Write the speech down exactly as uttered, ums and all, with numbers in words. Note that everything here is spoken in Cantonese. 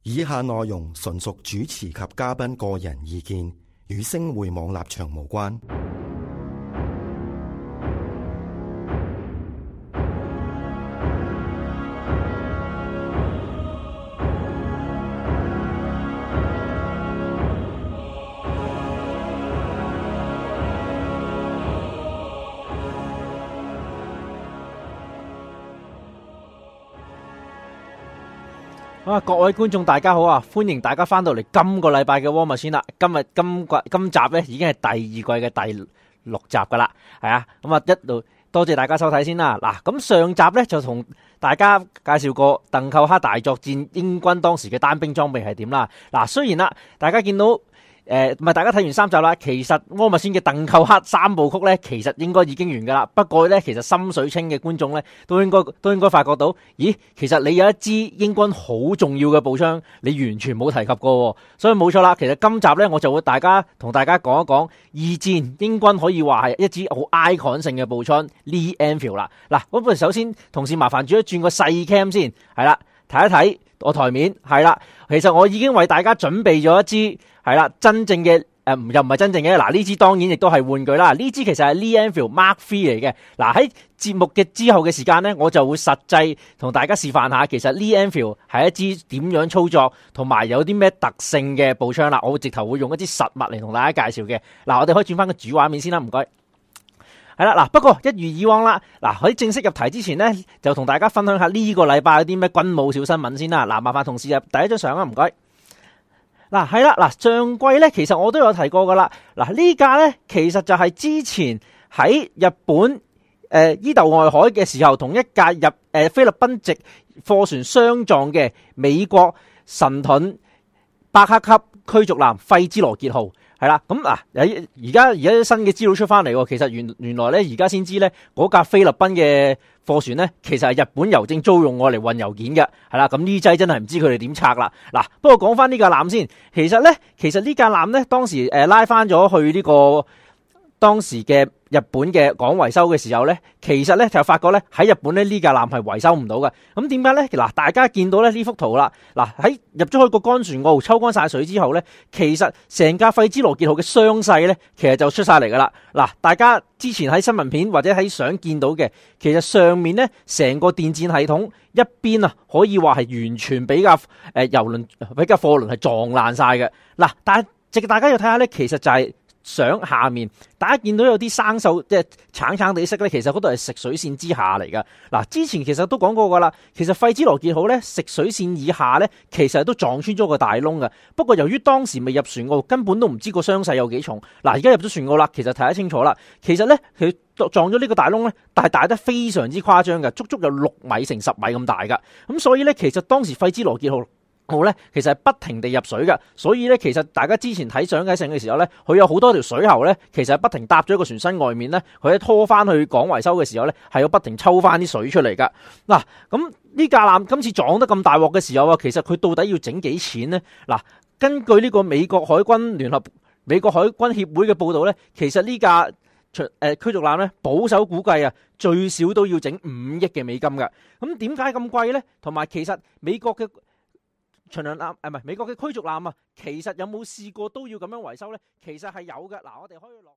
以下內容純屬主持及嘉賓個人意見，與星匯網立場無關。啊！各位觀眾大家好啊，歡迎大家翻到嚟今個禮拜嘅War Machine啦。今日今季今集咧已經係第二季嘅第六集噶啦，係啊。咁啊一路多謝大家收睇先啦。嗱，咁上集咧就同大家介紹過鄧寇克大作戰英軍當時嘅單兵裝備係點啦。嗱，雖然啦，大家見到。誒，唔係大家睇完三集啦，其實War Machine嘅鄧寇克三部曲咧，其實應該已經完噶啦。不過咧，其實心水清嘅觀眾咧，都應該都應該發覺到，咦，其實你有一支英軍好重要嘅步槍，你完全冇提及過，所以冇錯啦。其實今集咧，我就會大家同大家講一講二戰英軍可以話係一支好 icon 性嘅步槍 Lee Enfield 啦。嗱，咁不如首先同事麻煩轉一轉個細 cam 先，係啦，睇一睇我台面，係啦，其實我已經為大家準備咗一支。係啦，真正嘅誒、呃，又唔係真正嘅。嗱，呢支當然亦都係玩具啦。呢支其實係 Lee Enfield Mark three 嚟嘅。嗱，喺節目嘅之後嘅時間呢，我就會實際同大家示範下，其實 Lee Enfield 係一支點樣操作，同埋有啲咩特性嘅步槍啦。我會直頭會用一啲實物嚟同大家介紹嘅。嗱，我哋可以轉翻個主畫面先啦，唔該。係啦，嗱，不過一如以往啦，嗱，喺正式入題之前呢，就同大家分享下呢個禮拜有啲咩軍武小新聞先啦。嗱，麻煩同事入第一張相啊，唔該。嗱，係啦，嗱，上季咧，其實我都有提過噶啦。嗱，呢架咧，其實就係之前喺日本誒、呃、伊豆外海嘅時候，同一架日誒、呃、菲律賓籍貨船相撞嘅美國神盾伯克級驅逐艦費茲羅傑號，係啦。咁嗱，而家而家新嘅資料出翻嚟，其實原原來咧，而家先知咧，嗰架菲律賓嘅貨船咧，其實係日本郵政租用我嚟運郵件嘅，係啦。咁呢劑真係唔知佢哋點拆啦。嗱，不過講翻呢架艦先，其實咧，其實呢架艦咧，當時誒、呃、拉翻咗去呢、這個當時嘅日本嘅港維修嘅時候咧，其實咧就發覺咧喺日本咧呢架艦係維修唔到嘅。咁點解咧？嗱，大家見到咧呢幅圖啦，嗱，喺入咗去個乾船塢抽乾晒水之後咧，其實成架費茲羅傑號嘅傷勢咧，其實就出晒嚟噶啦。嗱，大家之前喺新聞片或者喺相見到嘅，其實上面咧成個電戰系統一邊啊，可以話係完全俾架誒郵輪俾架貨輪係撞爛晒嘅。嗱，但係直大家要睇下咧，其實就係、是。相下面，大家見到有啲生鏽，即係橙橙地色咧，其實嗰度係食水線之下嚟噶。嗱，之前其實都講過噶啦，其實費茲羅傑號咧食水線以下咧，其實都撞穿咗個大窿噶。不過由於當時未入船澳，根本都唔知個傷勢有幾重。嗱，而家入咗船澳啦，其實睇得清楚啦。其實咧佢撞咗呢個大窿咧，但係大得非常之誇張嘅，足足有六米乘十米咁大噶。咁所以咧，其實當時費茲羅傑號號咧，其實係不停地入水噶，所以咧，其實大家之前睇相睇成嘅時候咧，佢有好多條水喉咧，其實係不停搭咗個船身外面咧，佢喺拖翻去港維修嘅時候咧，係要不停抽翻啲水出嚟噶。嗱，咁呢架艦今次撞得咁大鑊嘅時候啊，其實佢到底要整幾錢呢？嗱，根據呢個美國海軍聯合美國海軍協會嘅報道咧，其實呢架誒驅逐艦咧，保守估計啊，最少都要整五億嘅美金噶。咁點解咁貴咧？同埋其實美國嘅巡洋艦誒，唔係美國嘅驅逐艦啊，其實有冇試過都要咁樣維修咧？其實係有嘅。嗱，我哋可以落。